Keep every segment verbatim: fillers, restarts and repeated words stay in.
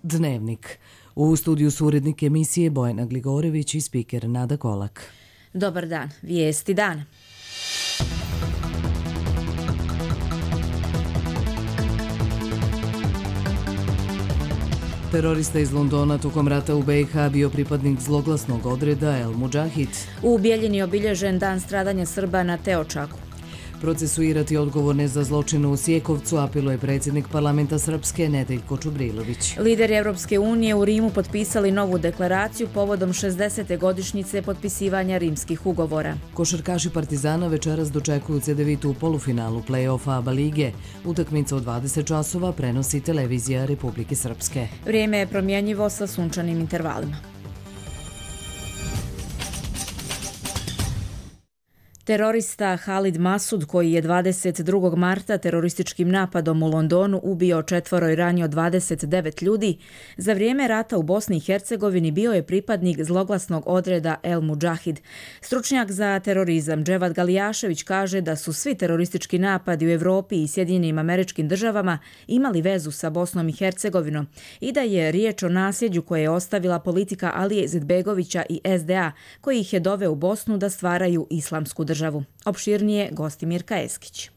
Dnevnik. U studiju su urednik emisije Bojana Gligorević i spiker Nada Kolak. Dobar dan, vijesti dana. Terorista iz Londona tokom rata u B i H bio pripadnik zloglasnog odreda El Mudžahid. U Bijeljini obilježen dan stradanja Srba na Teočaku. Procesuirati odgovorne za zločin u Sjekovcu apeluje predsjednik parlamenta Srpske Nedeljko Čubrilović. Lideri Europske unije u Rimu potpisali novu deklaraciju povodom šezdesete godišnjice potpisivanja rimskih ugovora. Košarkaši Partizana večeras dočekuju Cedevitu u polufinalu play-offa ABA lige. Utakmica u dvadeset časova prenosi televizija Republike Srpske. Vrijeme je promjenjivo sa sunčanim intervalima. Terorista Halid Masud, koji je dvadeset drugog marta terorističkim napadom u Londonu ubio četvoro i ranio dvadeset devet ljudi, za vrijeme rata u Bosni i Hercegovini bio je pripadnik zloglasnog odreda El Mudžahid. Stručnjak za terorizam Dževad Galijašević kaže da su svi teroristički napadi u Evropi i Sjedinjenim Američkim Državama imali vezu sa Bosnom i Hercegovinom i da je riječ o nasljeđu koje je ostavila politika Alije Izetbegovića i S D A, koji ih je doveo u Bosnu da stvaraju islamsku državu. Opširnije gosti Mirka Eskić.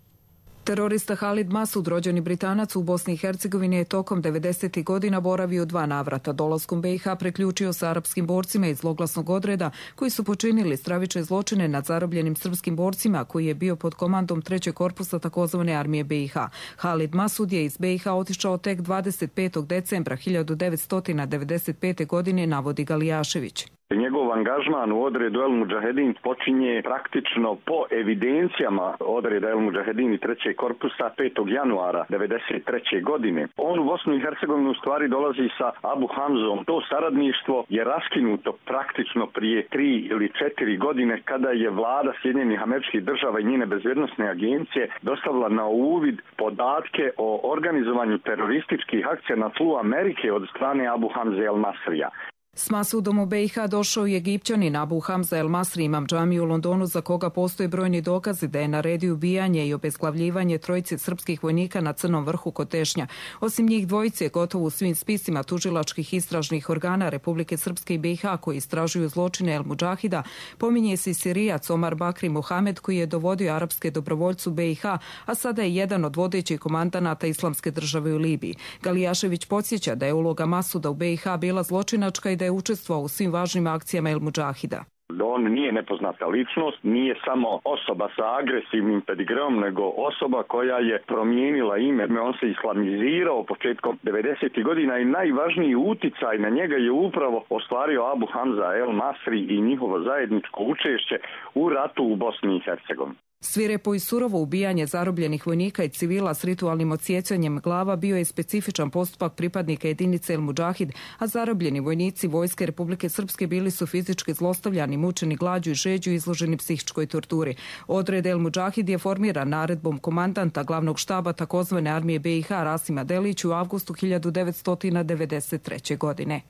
Terorista Halid Masud, rođeni Britanac u Bosni i Hercegovini, je tokom devedesetih godina boravio dva navrata. Dolaskom B i H priključio sa arapskim borcima iz zloglasnog odreda koji su počinili stravične zločine nad zarobljenim srpskim borcima, koji je bio pod komandom trećeg korpusa takozvane armije B i H. Halid Masud je iz B i H otišao tek dvadeset petog decembra hiljadu devetsto devedeset pete. godine, navodi Galijašević. Njegov angažman u odredu El Mudžahedin počinje praktično po evidencijama odreda El Mudžahedin i trećeg korpusa petog januara devedeset treće. godine. On u Bosnu i Hercegovinu u stvari dolazi sa Abu Hamzom. To saradništvo je raskinuto praktično prije tri ili četiri godine kada je vlada Sjedinjenih Američkih Država i njene bezbjednosne agencije dostavila na uvid podatke o organizovanju terorističkih akcija na tlu Amerike od strane Abu Hamze El Masrija. S Masudom u B i H došao je Egipćanin Abu Hamza El Masri, imam džamiju u Londonu za koga postoje brojni dokazi da je naredio ubijanje i obezglavljivanje trojice srpskih vojnika na Crnom vrhu kod Tešnja. Osim njih dvojice, gotovo u svim spisima tužilačkih istražnih organa Republike Srpske i B i H koji istražuju zločine El Mudžahida, pominje se i Sirijac Omar Bakri Mohamed, koji je dovodio arapske dobrovoljcu B i H, a sada je jedan od vodećih komandanata Islamske države u Libiji. Galijašević podsjeća da je uloga Masuda u B i H bila zločinačka i da je učestvovao u svim važnim akcijama El Mudžahida. On nije nepoznata ličnost, nije samo osoba sa agresivnim pedigreom, nego osoba koja je promijenila ime. On se islamizirao početkom devedesetih godina i najvažniji uticaj na njega je upravo ostvario Abu Hamza El Masri i njihovo zajedničko učešće u ratu u Bosni i Hercegovini. Svirepo i surovo ubijanje zarobljenih vojnika i civila s ritualnim odsjecanjem glava bio je specifičan postupak pripadnika jedinice El Mudžahid, a zarobljeni vojnici Vojske Republike Srpske bili su fizički zlostavljani, mučeni glađu i žeđu, izloženi psihičkoj torturi. Odred El Mudžahid je formiran naredbom komandanta glavnog štaba takozvane armije B i H Rasima Delić u avgustu hiljadu devetsto devedeset treće. godine.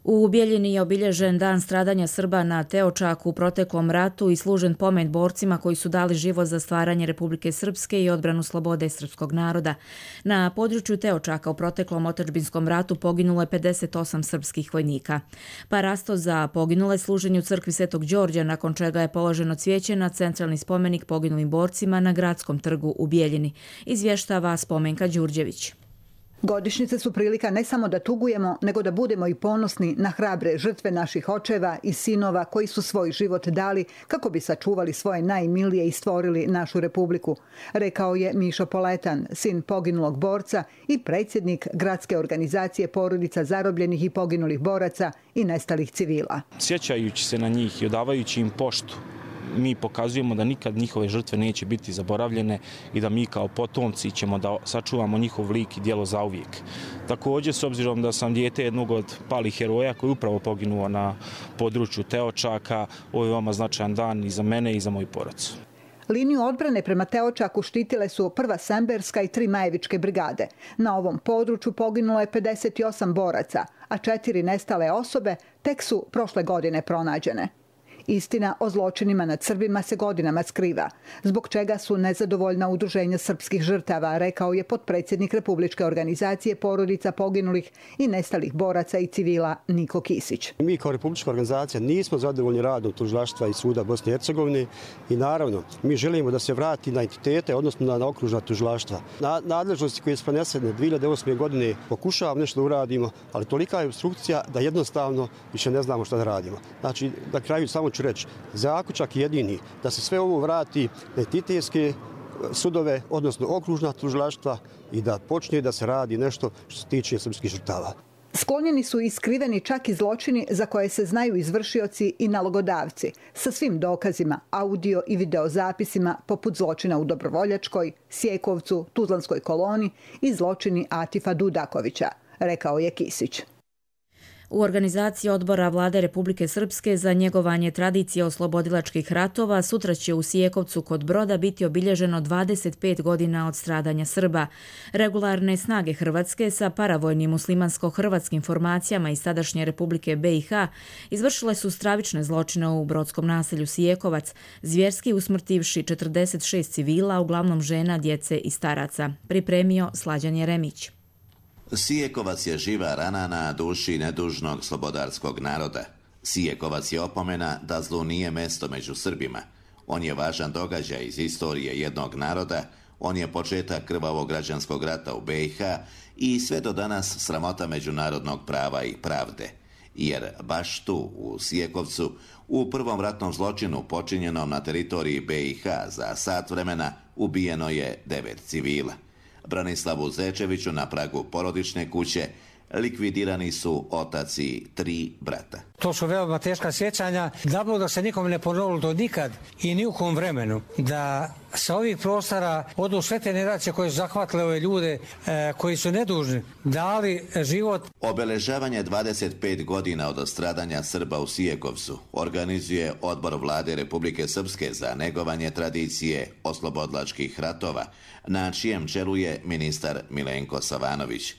U Bijeljini je obilježen dan stradanja Srba na Teočaku u proteklom ratu i služen pomen borcima koji su dali život za stvaranje Republike Srpske i odbranu slobode srpskog naroda. Na području Teočaka u proteklom otadžbinskom ratu poginulo je pedeset osam srpskih vojnika. Parasto za poginule služenju u crkvi Svetog Đorđa, nakon čega je položeno cvijeće na centralni spomenik poginulim borcima na Gradskom trgu u Bijeljini, izvještava Spomenka Đurđević. Godišnjice su prilika ne samo da tugujemo, nego da budemo i ponosni na hrabre žrtve naših očeva i sinova koji su svoj život dali kako bi sačuvali svoje najmilije i stvorili našu republiku, rekao je Mišo Poletan, sin poginulog borca i predsjednik gradske organizacije porodica zarobljenih i poginulih boraca i nestalih civila. Sjećajući se na njih i odavajući im poštu, mi pokazujemo da nikad njihove žrtve neće biti zaboravljene i da mi kao potomci ćemo da sačuvamo njihov lik i djelo zauvijek. Također, s obzirom da sam dijete jednog od palih heroja koji je upravo poginuo na području Teočaka, ovo je veoma značajan dan i za mene i za moju porodicu. Liniju odbrane prema Teočaku štitile su prva Semberska i tri Majevičke brigade. Na ovom području poginulo je pedeset osam boraca, a četiri nestale osobe tek su prošle godine pronađene. Istina o zločinima nad Srbima se godinama skriva, zbog čega su nezadovoljna udruženja srpskih žrtava, rekao je potpredsjednik Republičke organizacije porodica poginulih i nestalih boraca i civila Niko Kisić. Mi kao Republička organizacija nismo zadovoljni radom tužilaštva i suda Bosne i Hercegovine i naravno mi želimo da se vrati na entitete, odnosno na okružna tužilaštva. Na nadležnosti koje su prenesene dvije hiljade osme godine pokušavamo nešto da uradimo, ali tolika je obstrukcija da jednostavno više ne znamo šta da radimo. Znači, na kraju samo ću reći, zaključak jedini da se sve ovo vrati na entitetske sudove, odnosno okružna tužilaštva i da počne da se radi nešto što se tiče srpskih žrtava. Sklonjeni su i skriveni čak i zločini za koje se znaju izvršioci i nalogodavci, sa svim dokazima, audio i videozapisima poput zločina u Dobrovoljačkoj, Sjekovcu, Tuzlanskoj koloni i zločini Atifa Dudakovića, rekao je Kisić. U organizaciji odbora Vlade Republike Srpske za njegovanje tradicije oslobodilačkih ratova sutra će u Sjekovcu kod Broda biti obilježeno dvadeset pet godina od stradanja Srba. Regularne snage Hrvatske sa paravojnim muslimansko-hrvatskim formacijama iz tadašnje Republike B i H izvršile su stravične zločine u brodskom naselju Sjekovac, zvjerski usmrtivši četrdeset šest civila, uglavnom žena, djece i staraca. Pripremio Slađan Jeremić. Sijekovac je živa rana na duši nedužnog slobodarskog naroda. Sijekovac je opomena da zlu nije mesto među Srbima. On je važan događaj iz istorije jednog naroda, on je početak krvavog građanskog rata u B i H i sve do danas sramota međunarodnog prava i pravde. Jer baš tu, u Sijekovcu, u prvom ratnom zločinu počinjenom na teritoriji B i H za sat vremena ubijeno je devet civila. Branislavu Zečeviću na pragu porodične kuće likvidirani su otac i tri brata. To su veoma teška sjećanja. Dabno da se nikom ne ponovilo do nikad i ni u kom vremenu da sa ovih prostora odu sve te generacije koje su zahvatile ove ljude e, koji su nedužni, dali život. Obeležavanje dvadeset pet godina od stradanja Srba u Sijekovcu organizuje Odbor Vlade Republike Srpske za negovanje tradicije oslobodilačkih ratova, na čijem čelu je ministar Milenko Savanović.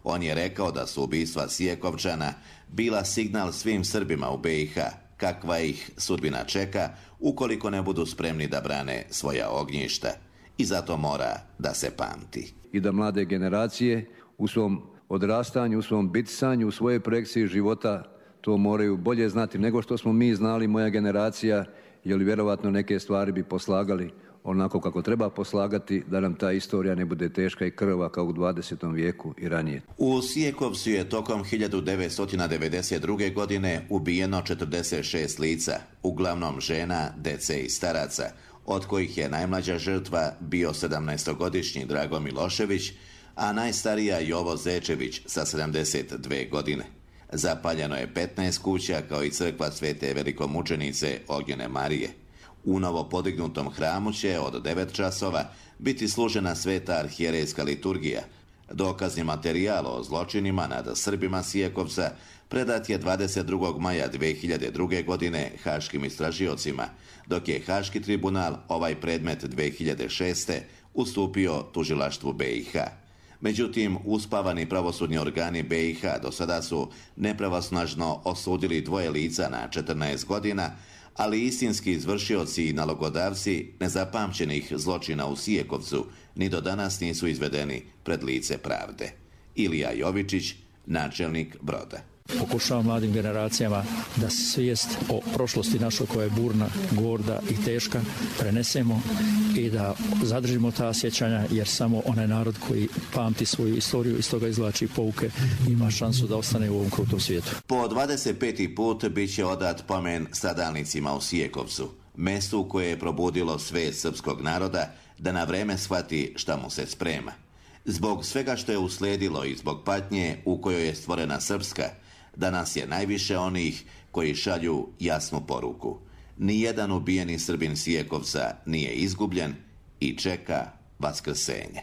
On je rekao da su ubistva Sijekovčana bila signal svim Srbima u B i H kakva ih sudbina čeka ukoliko ne budu spremni da brane svoja ognjišta. I zato mora da se pamti. I da mlade generacije u svom odrastanju, u svom bitisanju, u svojoj projekciji života to moraju bolje znati nego što smo mi znali, moja generacija, jer vjerovatno neke stvari bi poslagali onako kako treba poslagati, da nam ta istorija ne bude teška i krvava kao u dvadesetom vijeku i ranije. U Sijekovcu je tokom hiljadu devetsto devedeset druge. godine ubijeno četrdeset šest lica, uglavnom žena, dece i staraca, od kojih je najmlađa žrtva bio sedamnaestogodišnji Drago Milošević, a najstarija Jovo Zečević sa sedamdeset dve godine. Zapaljeno je petnaest kuća kao i crkva Svete velikomučenice Ognjene Marije. U novo podignutom hramu će od devet časova biti služena sveta arhijerejska liturgija. Dokazni materijal o zločinima nad Srbima Sijekovca predat je dvadeset drugog maja dve hiljade druge. godine haškim istražiocima, dok je Haški tribunal ovaj predmet dve hiljade šeste. ustupio tužilaštvu B i H. Međutim, uspavani pravosudni organi B i H do sada su nepravosnažno osudili dvoje lica na četrnaest godina, ali istinski izvršioci i nalogodavci nezapamćenih zločina u Sijekovcu ni do danas nisu izvedeni pred lice pravde. Ilija Jovičić, načelnik Broda. Pokušavam mladim generacijama da svijest o prošlosti našoj koja je burna, gorda i teška prenesemo i da zadržimo ta sjećanja, jer samo onaj narod koji pamti svoju istoriju i iz toga izvlači pouke ima šansu da ostane u ovom krutom svijetu. Po dvadeset peti put bit će odat pomen stradalnicima u Sijekovcu, mestu koje je probudilo svijest srpskog naroda da na vreme shvati šta mu se sprema. Zbog svega što je uslijedilo i zbog patnje u kojoj je stvorena Srpska, danas je najviše onih koji šalju jasnu poruku. Nijedan ubijeni Srbin Sijekovca nije izgubljen i čeka vaskrsenje.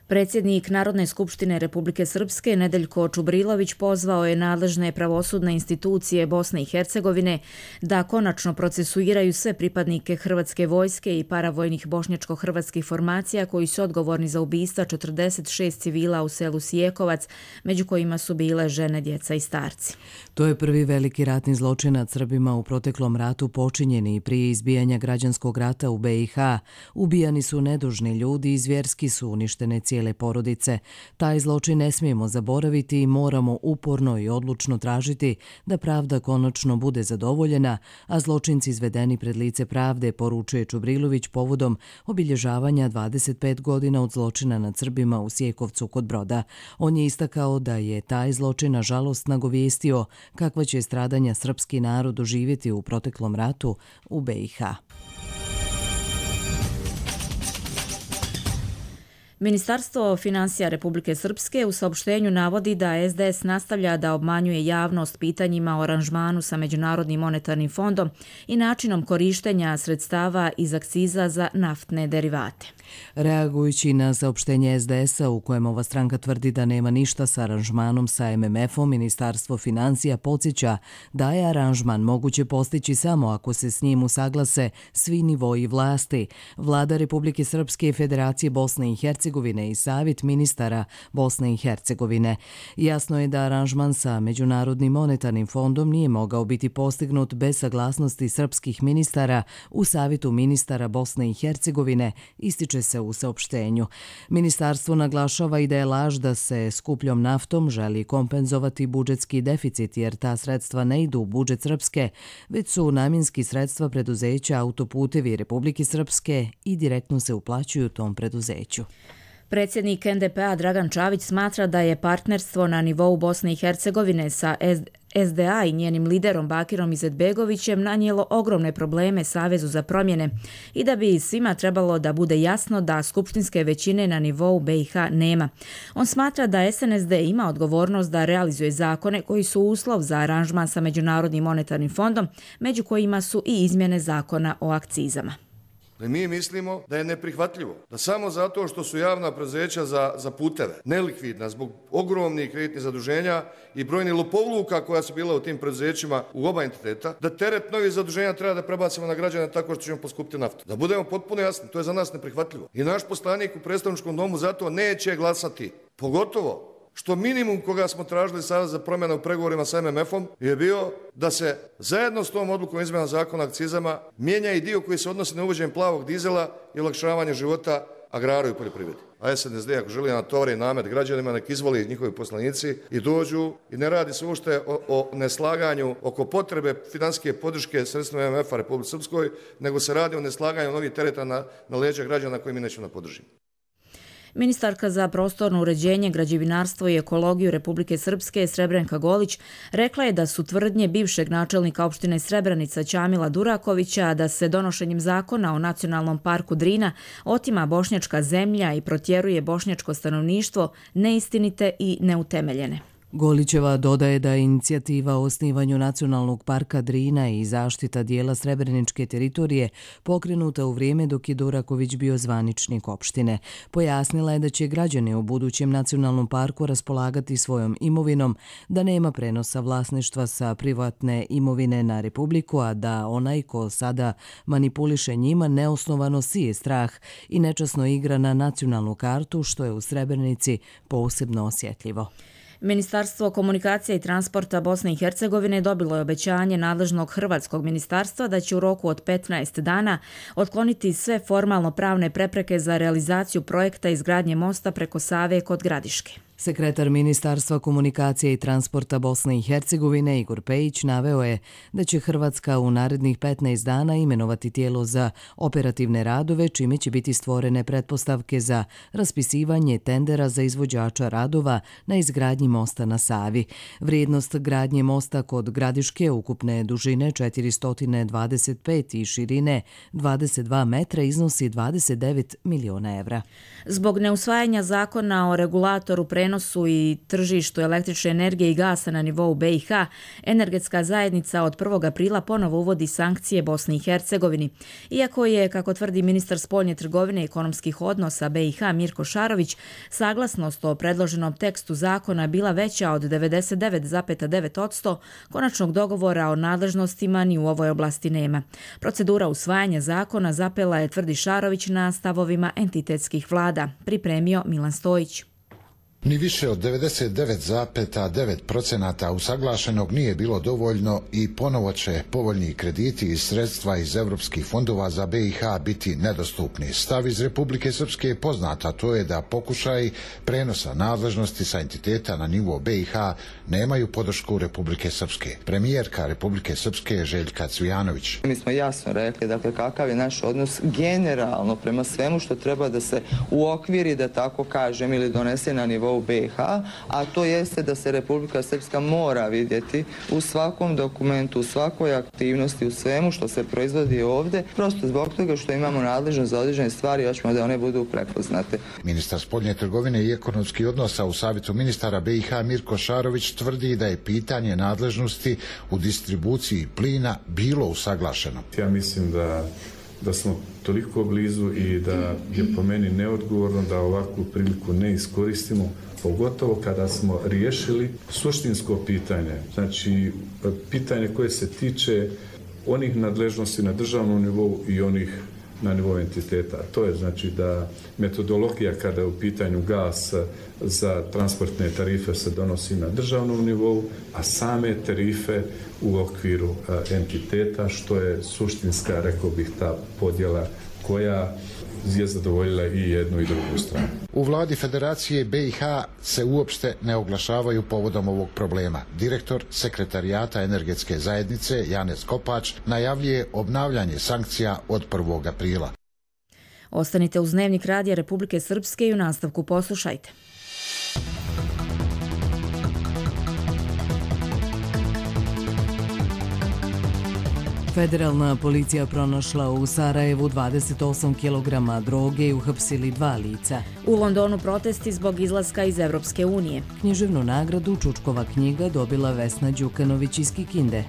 Predsjednik Narodne skupštine Republike Srpske Nedeljko Čubrilović pozvao je nadležne pravosudne institucije Bosne i Hercegovine da konačno procesuiraju sve pripadnike Hrvatske vojske i paravojnih bošnjačko-hrvatskih formacija koji su odgovorni za ubistva četrdeset šest civila u selu Sijekovac, među kojima su bile žene, djeca i starci. To je prvi veliki ratni zločin nad Srbima u proteklom ratu počinjeni prije izbijanja građanskog rata u be i ha. Ubijani su nedužni ljudi i zvjerski su uništene cijele porodice. Taj zločin ne smijemo zaboraviti i moramo uporno i odlučno tražiti da pravda konačno bude zadovoljena, a zločinci izvedeni pred lice pravde, poručuje Čubrilović povodom obilježavanja dvadeset pet godina od zločina nad Srbima u Sjekovcu kod Broda. On je istakao da je taj zločin nažalost nagovijestio kakva će stradanja srpski narod doživjeti u proteklom ratu u be i ha. Ministarstvo finansija Republike Srpske u saopštenju navodi da es de es nastavlja da obmanjuje javnost pitanjima o aranžmanu sa Međunarodnim monetarnim fondom i načinom korištenja sredstava iz akciza za naftne derivate. Reagujući na saopštenje es de esa u kojem ova stranka tvrdi da nema ništa sa aranžmanom sa em em efom, Ministarstvo finansija podsjeća da je aranžman moguće postići samo ako se s njim usaglase svi nivoji vlasti, Vlada Republike Srpske i Federacije Bosne i Hercegovine i Savjet ministara Bosne i Hercegovine. Jasno je da aranžman sa Međunarodnim monetarnim fondom nije mogao biti postignut bez saglasnosti srpskih ministara u Savjetu ministara Bosne i Hercegovine, ističe se u saopštenju. Ministarstvo naglašava i da je laž da se skupljom naftom želi kompenzovati budžetski deficit, jer ta sredstva ne idu u budžet Srpske, već su namjenski sredstva preduzeća Autoputevi Republike Srpske i direktno se uplaćuju tom preduzeću. Predsjednik en de pe a Dragan Čavić smatra da je partnerstvo na nivou Bosne i Hercegovine sa es de a i njenim liderom Bakirom Izetbegovićem nanijelo ogromne probleme Savezu za promjene i da bi svima trebalo da bude jasno da skupštinske većine na nivou be i ha nema. On smatra da es en es de ima odgovornost da realizuje zakone koji su uslov za aranžman sa Međunarodnim monetarnim fondom, među kojima su i izmjene zakona o akcizama. Mi mislimo da je neprihvatljivo da samo zato što su javna preduzeća za, za puteve nelikvidna zbog ogromnih kreditnih zaduženja i brojnih lopovluka koja su bila u tim preduzećima u oba entiteta, da teret novih zaduženja treba da prebacimo na građane tako što ćemo poskupiti naftu. Da budemo potpuno jasni, to je za nas neprihvatljivo. I naš poslanik u predstavničkom domu zato neće glasati, pogotovo što minimum koga smo tražili sada za promjene u pregovorima sa em em efom je bio da se zajedno s tom odlukom izmjena zakona o akcizama mijenja i dio koji se odnosi na uvođenje plavog dizela i olakšavanje života agraru i poljoprivredi. A es en es de ako želi natovari namet građanima, nek izvoli njihovi poslanici i dođu i ne radi se uopšte o, o neslaganju oko potrebe financijske podrške sredstvima em em efa Republike Srpskoj, nego se radi o neslaganju novih tereta na, na leđa građana koje mi nećemo da podržimo. Ministarka za prostorno uređenje, građevinarstvo i ekologiju Republike Srpske Srebrenka Golić rekla je da su tvrdnje bivšeg načelnika opštine Srebrenica Ćamila Durakovića da se donošenjem zakona o nacionalnom parku Drina otima bošnjačka zemlja i protjeruje bošnjačko stanovništvo neistinite i neutemeljene. Golićeva dodaje da je inicijativa o osnivanju Nacionalnog parka Drina i zaštita dijela srebreničke teritorije pokrenuta u vrijeme dok je Duraković bio zvaničnik opštine. Pojasnila je da će građani u budućem nacionalnom parku raspolagati svojom imovinom, da nema prenosa vlasništva sa privatne imovine na Republiku, a da onaj ko sada manipuliše njima neosnovano sije strah i nečasno igra na nacionalnu kartu, što je u Srebrenici posebno osjetljivo. Ministarstvo komunikacije i transporta Bosne i Hercegovine dobilo je obećanje nadležnog hrvatskog ministarstva da će u roku od petnaest dana otkloniti sve formalno pravne prepreke za realizaciju projekta izgradnje mosta preko Save kod Gradiške. Sekretar Ministarstva komunikacije i transporta Bosne i Hercegovine Igor Pejić naveo je da će Hrvatska u narednih petnaest dana imenovati tijelo za operativne radove, čime će biti stvorene pretpostavke za raspisivanje tendera za izvođača radova na izgradnji mosta na Savi. Vrijednost gradnje mosta kod Gradiške ukupne dužine četiristo dvadeset pet i širine dvadeset dva metra iznosi dvadeset devet miliona evra. Zbog neusvajanja zakona o regulatoru prenosa prenosu i tržištu električne energije i gasa na nivou B i H, energetska zajednica od prvog aprila ponovo uvodi sankcije Bosni i Hercegovini. Iako je, kako tvrdi ministar spoljne trgovine i ekonomskih odnosa B i H Mirko Šarović, saglasnost o predloženom tekstu zakona bila veća od devedeset devet zarez devet posto, konačnog dogovora o nadležnostima ni u ovoj oblasti nema. Procedura usvajanja zakona zapela je, tvrdi Šarović, na stavovima entitetskih vlada, pripremio Milan Stojić. Ni više od devedeset devet zarez devet posto usaglašenog nije bilo dovoljno i ponovo će povoljni krediti i sredstva iz evropskih fondova za B i H biti nedostupni. Stav iz Republike Srpske je poznat, a to je da pokušaj prenosa nadležnosti sa entiteta na nivo B i H nemaju podršku Republike Srpske. Premijerka Republike Srpske Željka Cvijanović. Mi smo jasno rekli, dakle, kakav je naš odnos generalno prema svemu što treba da se uokviri, da tako kažem, ili donese na nivou u B i H, a to jeste da se Republika Srpska mora vidjeti u svakom dokumentu, u svakoj aktivnosti, u svemu što se proizvodi ovdje, prosto zbog toga što imamo nadležnost za određene stvari, hoćemo da one budu prepoznate. Ministar spoljne trgovine i ekonomskih odnosa u Savjetu ministara B i H Mirko Šarović tvrdi da je pitanje nadležnosti u distribuciji plina bilo usaglašeno. Ja mislim da da smo toliko blizu i da je po meni neodgovorno da ovakvu priliku ne iskoristimo, pogotovo kada smo riješili suštinsko pitanje, znači pitanje koje se tiče onih nadležnosti na državnom nivou i onih na nivou entiteta. To je znači da metodologija kada je u pitanju gas za transportne tarife se donosi na državnom nivou, a same tarife u okviru entiteta, što je suštinska, rekao bih, ta podjela koja je zadovoljila i jednu i drugu stranu. U vladi Federacije B i H se uopšte ne oglašavaju povodom ovog problema. Direktor Sekretarijata energetske zajednice Janez Kopač najavljuje obnavljanje sankcija od prvog aprila. Ostanite uz Dnevnik radija Republike Srpske i u nastavku poslušajte. Federalna policija pronašla u Sarajevu dvadeset osam kilograma droge i uhapsili dva lica. U Londonu protesti zbog izlaska iz Evropske unije. Književnu nagradu Čučkova knjiga dobila Vesna Đukanović iz Kikinde.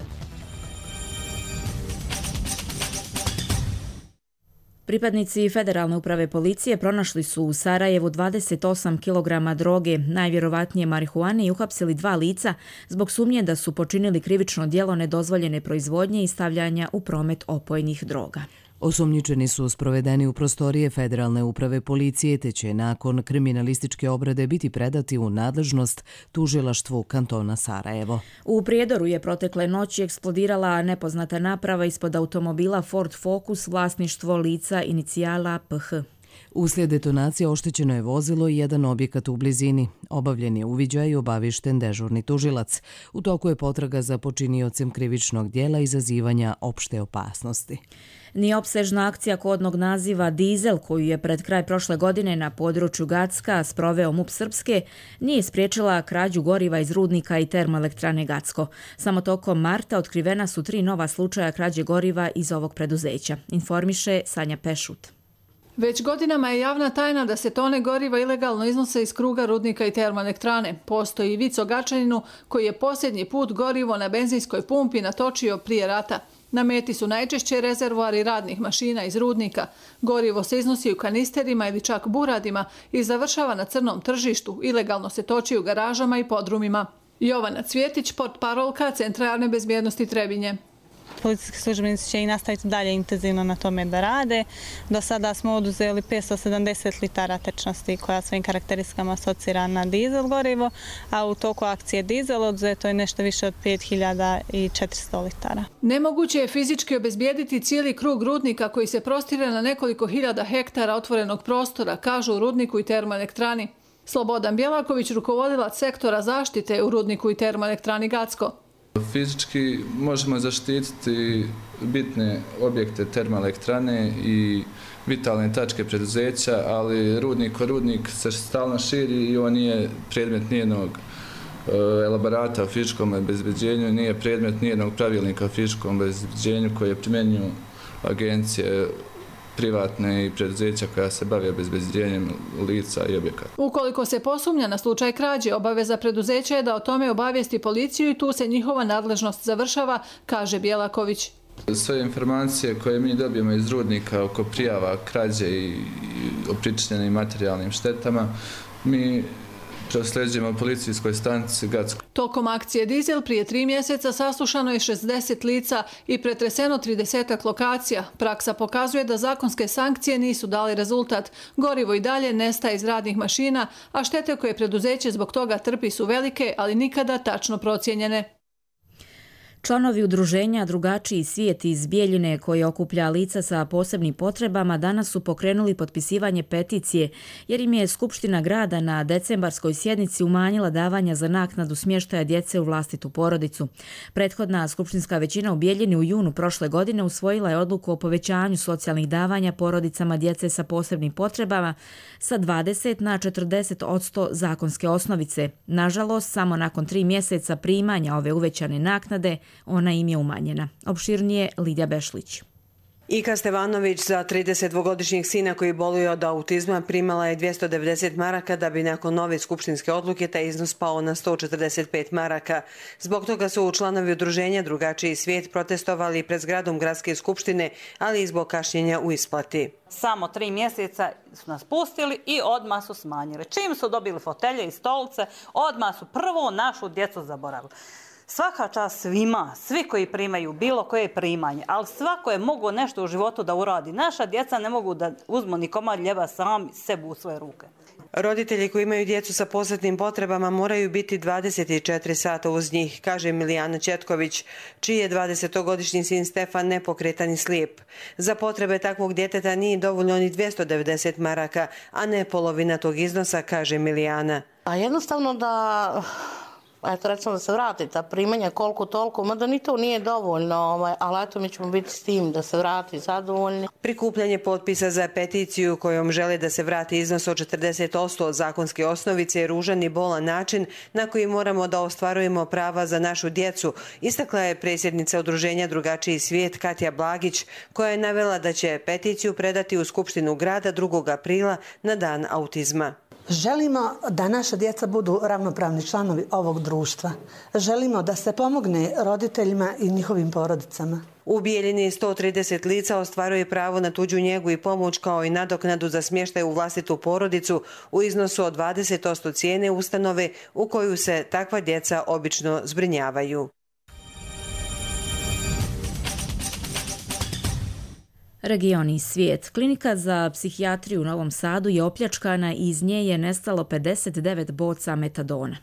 Pripadnici Federalne uprave policije pronašli su u Sarajevu dvadeset osam kilograma droge, najvjerovatnije marihuane, i uhapsili dva lica zbog sumnje da su počinili krivično djelo nedozvoljene proizvodnje i stavljanja u promet opojnih droga. Osumnjičeni su sprovedeni u prostorije Federalne uprave policije, te će nakon kriminalističke obrade biti predati u nadležnost tužilaštvu kantona Sarajevo. U Prijedoru je protekle noći eksplodirala nepoznata naprava ispod automobila Ford Focus, vlasništvo lica inicijala P H. Uslijed detonacije oštećeno je vozilo i jedan objekat u blizini. Obavljen je uviđaj i obavišten dežurni tužilac. U toku je potraga za počiniocem krivičnog djela izazivanja opšte opasnosti. Ni opsežna akcija kodnog naziva Dizel, koju je pred kraj prošle godine na području Gacka sproveo M U P Srpske, nije spriječila krađu goriva iz rudnika i termoelektrane Gacko. Samo tokom marta otkrivena su tri nova slučaja krađe goriva iz ovog preduzeća, informiše Sanja Pešut. Već godinama je javna tajna da se tone goriva ilegalno iznose iz kruga rudnika i termoelektrane. Postoji i vic o Gačaninu koji je posljednji put gorivo na benzinskoj pumpi natočio prije rata. Na meti su najčešće rezervoari radnih mašina iz rudnika. Gorivo se iznosi u kanisterima ili čak buradima i završava na crnom tržištu. Ilegalno se toči u garažama i podrumima. Jovana Cvjetić, portparolka Centra javne bezbjednosti Trebinje. Policijski službenici će i nastaviti dalje intenzivno na tome da rade. Do sada smo oduzeli petsto sedamdeset litara tečnosti koja svojim karakteristikama asocira na dizel gorivo, a u toku akcije dizel oduzeto je nešto više od pet hiljada četiristo litara. Nemoguće je fizički obezbijediti cijeli krug rudnika koji se prostire na nekoliko hiljada hektara otvorenog prostora, kažu u rudniku i termoelektrani. Slobodan Bjelaković, rukovodilac sektora zaštite u rudniku i termoelektrani Gacko. Fizički možemo zaštititi bitne objekte termoelektrane i vitalne tačke preduzeća, ali rudnik o rudnik se stalno širi i on nije predmet nijednog elaborata o fizičkom obezbeđenju, nije predmet nijednog pravilnika o fizičkom obezbeđenju koje primjenjuju agencije privatne i preduzeća koja se bave obezbeđenjem lica i objekata. Ukoliko se posumnja na slučaj krađe, obaveza preduzeća je da o tome obavijesti policiju i tu se njihova nadležnost završava, kaže Bjelaković. Sve informacije koje mi dobijemo iz rudnika oko prijava krađe i o pričinjenim materijalnim štetama, mi prosleđujemo policijskoj stanici Gacko. Tokom akcije Dizel prije tri mjeseca saslušano je šezdeset lica i pretreseno trideset lokacija. Praksa pokazuje da zakonske sankcije nisu dali rezultat. Gorivo i dalje nestaje iz radnih mašina, a štete koje preduzeće zbog toga trpi su velike, ali nikada tačno procijenjene. Članovi udruženja Drugačiji svijet iz Bijeljine, koji okuplja lica sa posebnim potrebama, danas su pokrenuli potpisivanje peticije, jer im je Skupština grada na decembarskoj sjednici umanjila davanja za naknadu smještaja djece u vlastitu porodicu. Prethodna skupštinska većina u Bijeljini u junu prošle godine usvojila je odluku o povećanju socijalnih davanja porodicama djece sa posebnim potrebama sa dvadeset na četrdeset posto zakonske osnovice. Nažalost, samo nakon tri mjeseca primanja ove uvećane naknade, ona im je umanjena. Opširnije Lidija Bešlić. Ika Stevanović za tridesetdvogodišnjeg sina koji boluje od autizma primala je dvjesto devedeset maraka da bi nakon nove skupštinske odluke taj iznos pao na sto četrdeset pet maraka. Zbog toga su članovi udruženja Drugačiji svijet protestovali pred zgradom gradske skupštine, ali i zbog kašnjenja u isplati. Samo tri mjeseca su nas pustili i odmah su smanjili. Čim su dobili fotelje i stolice, odmah su prvo našu djecu zaboravili. Svaka čast svima, svi koji primaju bilo koje primanje, ali svako je mogo nešto u životu da uradi. Naša djeca ne mogu da uzmu ni komad ljeba sami sebi u svoje ruke. Roditelji koji imaju djecu sa posebnim potrebama moraju biti dvadeset četiri sata uz njih, kaže Milijana Četković, čiji je dvadesetogodišnji sin Stefan nepokretan i slijep. Za potrebe takvog djeteta nije dovoljno ni dvjesto devedeset maraka, a ne polovina tog iznosa, kaže Milijana. A jednostavno da... Eto, recimo da se vrati ta primanja koliko toliko, mada ni to nije dovoljno, ovaj, ali eto mi ćemo biti s tim da se vrati zadovoljni. Prikupljanje potpisa za peticiju kojom žele da se vrati iznos od četrdeset posto od zakonske osnovice je ružan i bolan način na koji moramo da ostvarujemo prava za našu djecu, istakla je predsjednica udruženja Drugačiji svijet Katja Blagić, koja je navela da će peticiju predati u Skupštinu grada drugog aprila na dan autizma. Želimo da naša djeca budu ravnopravni članovi ovog društva. Želimo da se pomogne roditeljima i njihovim porodicama. U Bijeljini sto trideset lica ostvaruje pravo na tuđu njegu i pomoć kao i nadoknadu za smještaj u vlastitu porodicu u iznosu od dvadeset posto cijene ustanove u koju se takva djeca obično zbrinjavaju. Regioni i svijet. Klinika za psihijatriju u Novom Sadu je opljačkana i iz nje je nestalo pedeset devet boca metadona.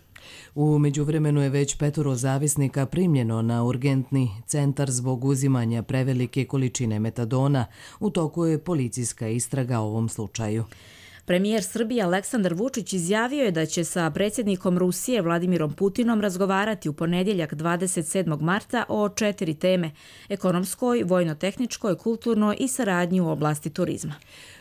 U međuvremenu je već petoro zavisnika primljeno na urgentni centar zbog uzimanja prevelike količine metadona. U toku je policijska istraga o ovom slučaju. Premijer Srbije Aleksandar Vučić izjavio je da će sa predsjednikom Rusije Vladimirom Putinom razgovarati u ponedjeljak dvadeset sedmog marta o četiri teme: ekonomskoj, vojno-tehničkoj, kulturnoj i saradnji u oblasti turizma.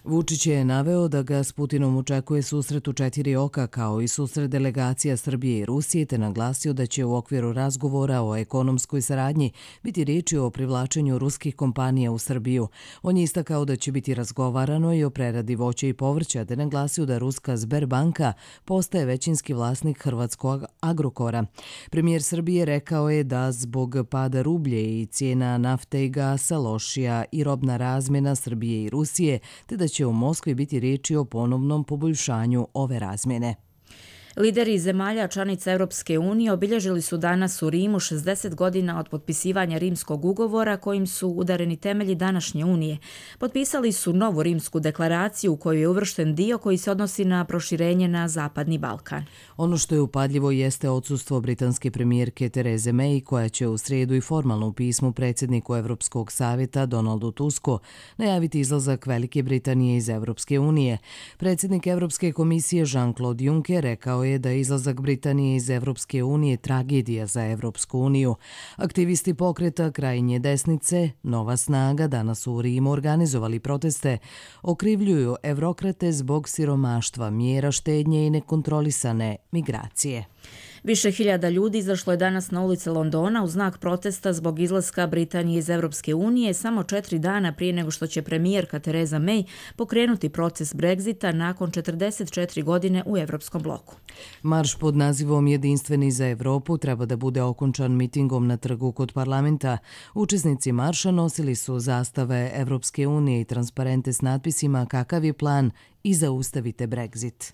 Vučić je naveo da ga s Putinom očekuje susret u četiri oka kao i susret delegacija Srbije i Rusije, te naglasio da će u okviru razgovora o ekonomskoj saradnji biti riječi o privlačenju ruskih kompanija u Srbiju. On je istakao da će biti razgovarano i o preradi voća i povrća, te naglasio da ruska Sberbanka postaje većinski vlasnik hrvatskog Agrokora. Premijer Srbije rekao je da zbog pada rublje i cijena nafte i gasa lošija i robna razmjena Srbije i Rusije, te da će u Moskvi biti riječi o ponovnom poboljšanju ove razmjene. Lideri zemalja članica Europske unije obilježili su danas u Rimu šezdeset godina od potpisivanja Rimskog ugovora kojim su udareni temelji današnje unije. Potpisali su novu Rimsku deklaraciju u kojoj je uvršten dio koji se odnosi na proširenje na Zapadni Balkan. Ono što je upadljivo jeste odsustvo britanske premijerke Tereze May, koja će u srijedu i formalno u pismu predsjedniku Europskog savjeta Donaldu Tusku najaviti izlazak Velike Britanije iz Europske unije. Predsjednik Europske komisije Jean-Claude Juncker rekao je da je izlazak Britanije iz Evropske unije tragedija za Evropsku uniju. Aktivisti pokreta krajnje desnice Nova snaga danas u Rimu organizovali proteste, okrivljuju evrokrate zbog siromaštva, mjera štednje i nekontrolisane migracije. Više hiljada ljudi izašlo je danas na ulice Londona u znak protesta zbog izlaska Britanije iz Europske unije samo četiri dana prije nego što će premijerka Theresa May pokrenuti proces Brexita nakon četrdeset četiri godine u Europskom bloku. Marš pod nazivom Jedinstveni za Evropu treba da bude okončan mitingom na trgu kod parlamenta. Učesnici marša nosili su zastave Evropske unije i transparente s natpisima kakav je plan i zaustavite Brexit.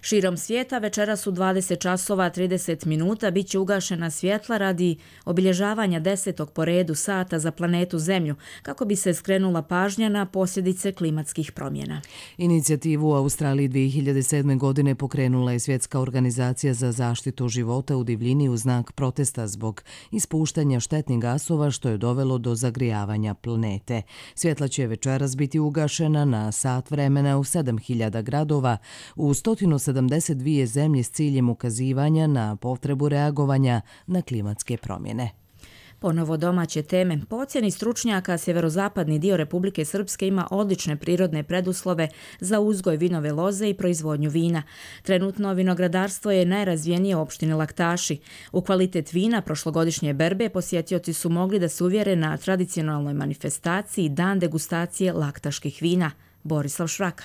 Širom svijeta večeras u dvadeset časova trideset minuta bit će ugašena svjetla radi obilježavanja desetog po redu sata za planetu Zemlju, kako bi se skrenula pažnja na posljedice klimatskih promjena. Inicijativu u Australiji dvije hiljade sedme. godine pokrenula je Svjetska organizacija za zaštitu života u divljini u znak protesta zbog ispuštanja štetnih gasova što je dovelo do zagrijavanja planete. Svjetla će večeras biti ugašena na sat vremena u sedam hiljada gradova u sto sedamdeset dvije zemlje s ciljem ukazivanja na potrebu reagovanja na klimatske promjene. Ponovo domaće teme. Po ocjeni stručnjaka, sjeverozapadni dio Republike Srpske ima odlične prirodne preduslove za uzgoj vinove loze i proizvodnju vina. Trenutno vinogradarstvo je najrazvijenije u opštini Laktaši. U kvalitet vina prošlogodišnje berbe posjetioci su mogli da se uvjere na tradicionalnoj manifestaciji Dan degustacije laktaških vina. Borislav Švraka.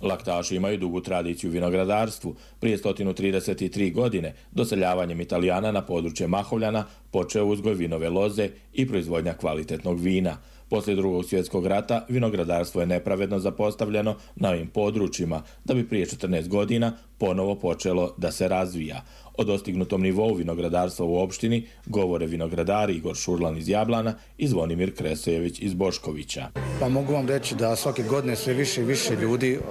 Laktaši imaju dugu tradiciju u vinogradarstvu. Prije sto trideset tri godine doseljavanjem Italijana na područje Mahovljana počeo uzgoj vinove loze i proizvodnja kvalitetnog vina. Poslije drugog svjetskog rata vinogradarstvo je nepravedno zapostavljeno na ovim područjima, da bi prije četrnaest godina ponovo počelo da se razvija. O dostignutom nivou vinogradarstva u opštini govore vinogradari Igor Šurlan iz Jablana i Zvonimir Kresojević iz Boškovića. Pa mogu vam reći da svake godine sve više i više ljudi uh,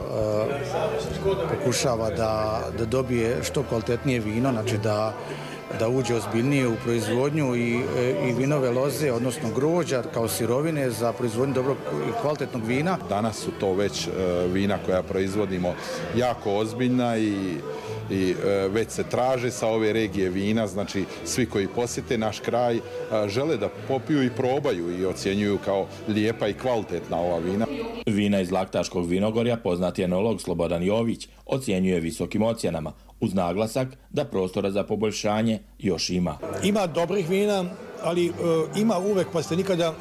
pokušava da, da dobije što kvalitetnije vino, znači da da uđe ozbiljnije u proizvodnju i, i vinove loze, odnosno grožđa kao sirovine za proizvodnju dobrog i kvalitetnog vina. Danas su to već vina koja proizvodimo jako ozbiljna i, i već se traže sa ove regije vina, znači svi koji posjete naš kraj žele da popiju i probaju i ocjenjuju kao lijepa i kvalitetna ova vina. Vina iz Laktaškog vinogorja poznati enolog Slobodan Jović ocjenjuje visokim ocjenama, uz naglasak da prostora za poboljšanje još ima. Ima dobrih vina, ali uh, ima uvek, pa ste nikada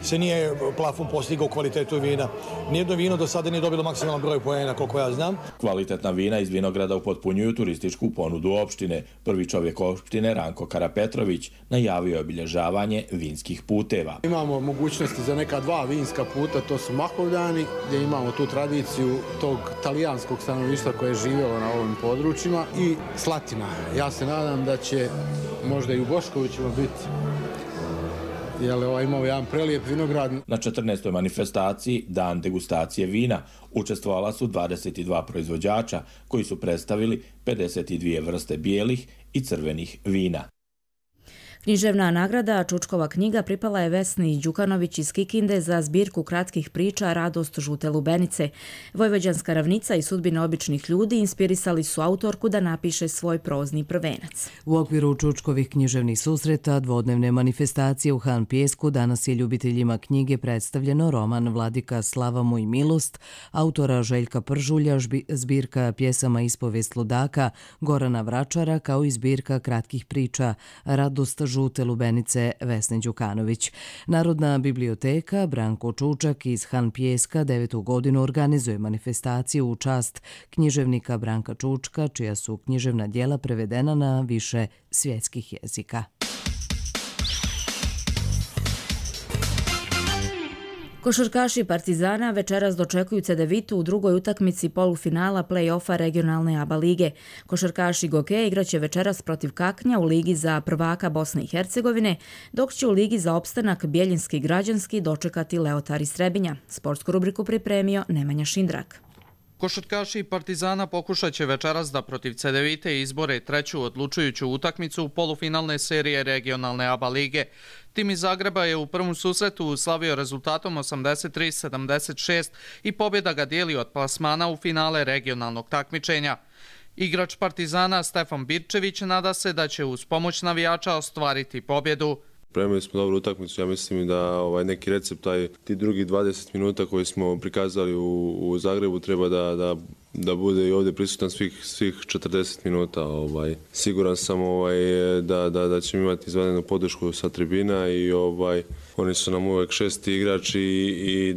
se nije plafon postigao kvalitetu vina. Nijedno vino do sada nije dobilo maksimalan broj poena, koliko ja znam. Kvalitetna vina iz vinograda upotpunjuju turističku ponudu opštine. Prvi čovjek opštine, Ranko Karapetrović, najavio je obilježavanje vinskih puteva. Imamo mogućnosti za neka dva vinska puta, to su Mahovljani, gdje imamo tu tradiciju tog talijanskog stanovništva koje je živjelo na ovim područjima, i Slatina. Ja se nadam da će možda i u Boškovićima biti, jer ovaj imao jedan prelijep vinograd. Na četrnaestoj manifestaciji Dan degustacije vina učestvovala su dvadeset dva proizvođača koji su predstavili pedeset dvije vrste bijelih i crvenih vina. Književna nagrada Čučkova knjiga pripala je Vesni Đukanović iz Kikinde za zbirku kratkih priča Radost žute lubenice. Vojvođanska ravnica i sudbine običnih ljudi inspirisali su autorku da napiše svoj prozni prvenac. U okviru Čučkovih književnih susreta, dvodnevne manifestacije u Han Pijesku, danas je ljubiteljima knjige predstavljeno roman Vladika Slava moj milost, autora Željka Pržulja, zbirka pjesama Ispovijest ludaka Gorana Vračara, kao i zbirka kratkih priča Radost žute lubenice Vesne Đukanović. Narodna biblioteka Branko Čučak iz Han Pijeska devetu godinu organizuje manifestaciju u čast književnika Branka Čučka, čija su književna djela prevedena na više svjetskih jezika. Košarkaši Partizana večeras dočekuju Cedevitu u drugoj utakmici polufinala play-offa regionalne A B A lige. Košarkaši Goke igraće večeras protiv Kaknja u ligi za prvaka Bosne i Hercegovine, dok će u ligi za opstanak Bjeljinski građanski dočekati Leotar iz Trebinja. Sportsku rubriku pripremio Nemanja Šindrak. Košarkaši Partizana pokušat će večeras da protiv Cedevite izbore treću odlučujuću utakmicu polufinalne serije regionalne A B A lige. Tim iz Zagreba je u prvom susretu slavio rezultatom osamdeset tri sedamdeset šest i pobjeda ga dijeli od plasmana u finale regionalnog takmičenja. Igrač Partizana Stefan Birčević nada se da će uz pomoć navijača ostvariti pobjedu. Spremili smo dobru utakmicu, ja mislim da ovaj neki recept, taj, ti drugi dvadeset minuta koji smo prikazali u, u Zagrebu treba da, da, da bude i ovdje prisutan svih, svih četrdeset minuta. Ovaj. Siguran sam ovaj, da, da, da ćemo imati izvanrednu podršku sa tribina i ovaj, oni su nam uvijek šesti igrači i,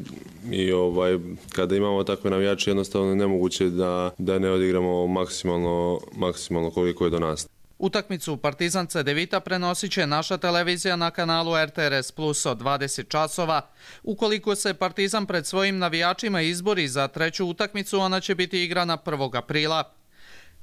i, i ovaj, kada imamo takve navijače jednostavno je nemoguće da, da ne odigramo maksimalno, maksimalno koliko je do nas. Utakmicu Partizan Cedevita prenosit će naša televizija na kanalu R T R S Plus od dvadeset časova. Ukoliko se Partizan pred svojim navijačima izbori za treću utakmicu, ona će biti igrana prvog aprila.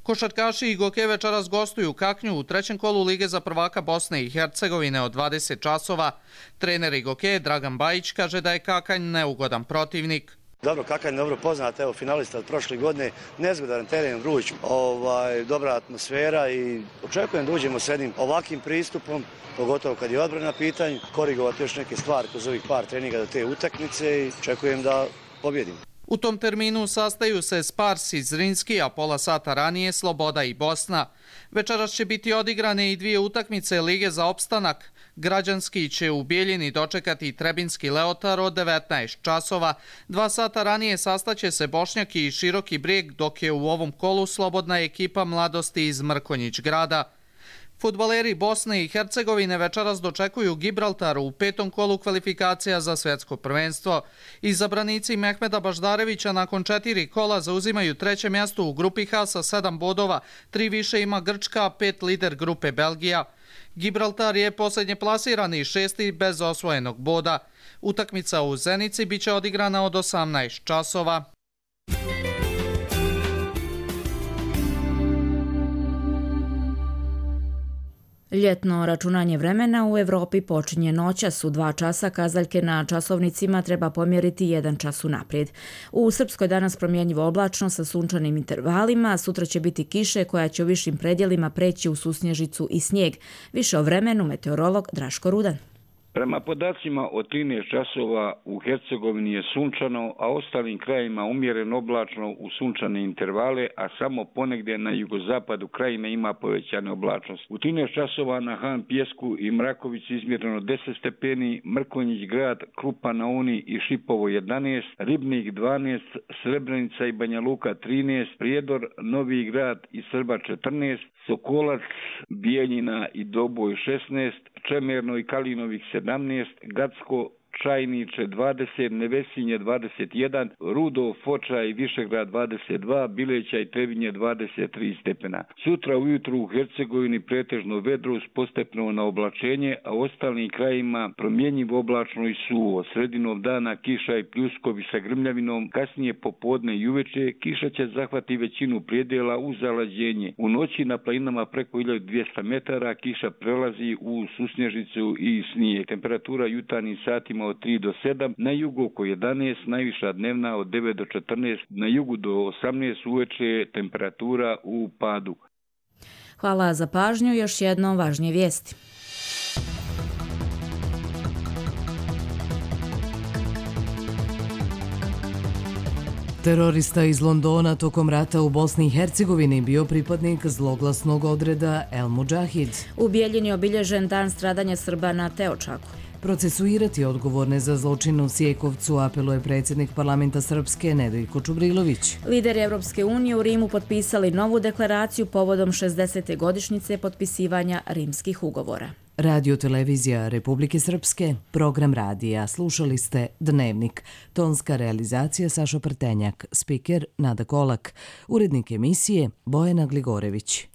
Košarkaši i Goke večeras gostuju Kaknju u trećem kolu Lige za prvaka Bosne i Hercegovine od dvadeset časova. Trener Goke Dragan Bajić kaže da je Kakanj neugodan protivnik. Dobro, Kakanj dobro poznat, evo finalista od prošle godine, nezgodan teren, vruć, ovaj, dobra atmosfera i očekujem da uđemo s jednim ovakvim pristupom, pogotovo kad je odbrana pitanje, korigovati još neke stvari kroz ovih par treninga do te utakmice i očekujem da pobjedimo. U tom terminu sastaju se Spars iz Zrinski, a pola sata ranije Sloboda i Bosna. Večeras će biti odigrane i dvije utakmice Lige za opstanak. Građanski će u Bijeljini dočekati Trebinski Leotar od devetnaest časova. Dva sata ranije sastaće se Bošnjaki i Široki Brijeg, dok je u ovom kolu slobodna ekipa Mladosti iz Mrkonjić grada. Fudbaleri Bosne i Hercegovine večeras dočekuju Gibraltar u petom kolu kvalifikacija za svjetsko prvenstvo. Izabranici Mehmeda Baždarevića nakon četiri kola zauzimaju treće mjesto u grupi H sa sedam bodova, tri više ima Grčka, pet lider grupe Belgija. Gibraltar je posljednje plasirani šesti bez osvojenog boda. Utakmica u Zenici biće odigrana od osamnaest časova. Ljetno računanje vremena u Evropi počinje noćas. U dva časa kazaljke na časovnicima treba pomjeriti jedan čas unaprijed. U Srpskoj danas promjenjivo oblačno sa sunčanim intervalima, sutra će biti kiše koja će u višim predjelima preći u susnježicu i snijeg. Više o vremenu meteorolog Draško Rudan. Prema podacima od trinaest časova u Hercegovini je sunčano, a ostalim krajima umjereno oblačno u sunčane intervale, a samo ponegdje na jugozapadu krajine ima povećane oblačnosti. U trinaest časova na Han Pjesku i Mrakovici izmjereno deset stepeni, Mrkonjić grad, Krupa na Uni i Šipovo jedanaest, Ribnik dvanaest, Srebrenica i Banja Luka trinaest, Prijedor, Novi grad i Srba četrnaest, Sokolac, Bijeljina i Doboj šesnaest, Čemerno i Kalinovih sedamnaest, Gacko, Čajniče dvadeset, Nevesinje dvadeset jedan, Rudo, Foča i Višegrad dvadeset dva, Bileća i Trebinje dvadeset tri stepena. Sutra ujutru u Hercegovini pretežno vedro uz postepeno na oblačenje, a u ostalim krajima promjenjivo oblačno i suvo. Sredinom dana kiša i pljuskovi sa grmljavinom, kasnije popodne i uveče kiša će zahvati većinu prijedela uz zalađenje. U noći na planinama preko hiljadu dvjesto metara kiša prelazi u susnježicu i snijeg. Temperatura jutarnjim satima od tri do sedam, na jugu oko jedanaest, najviša dnevna od devet do četrnaest, na jugu do osamnaest, uveče temperatura u padu. Hvala za pažnju, još jednom važnije vijesti. Terorista iz Londona tokom rata u Bosni i Hercegovini bio pripadnik zloglasnog odreda El Mudžahid. U Bijeljini je obilježen dan stradanja Srba na Teočaku. Procesuirati odgovorne za zločin u Sjekovcu apeluje predsjednik parlamenta Srpske Nedeljko Čubrilović. Lideri Evropske unije u Rimu potpisali novu deklaraciju povodom šezdesete godišnjice potpisivanja rimskih ugovora. Radio televizija Republike Srpske, program radija. Slušali ste Dnevnik. Tonska realizacija Sašo Prtenjak, spiker Nada Kolak, urednik emisije Bojana Gligorević.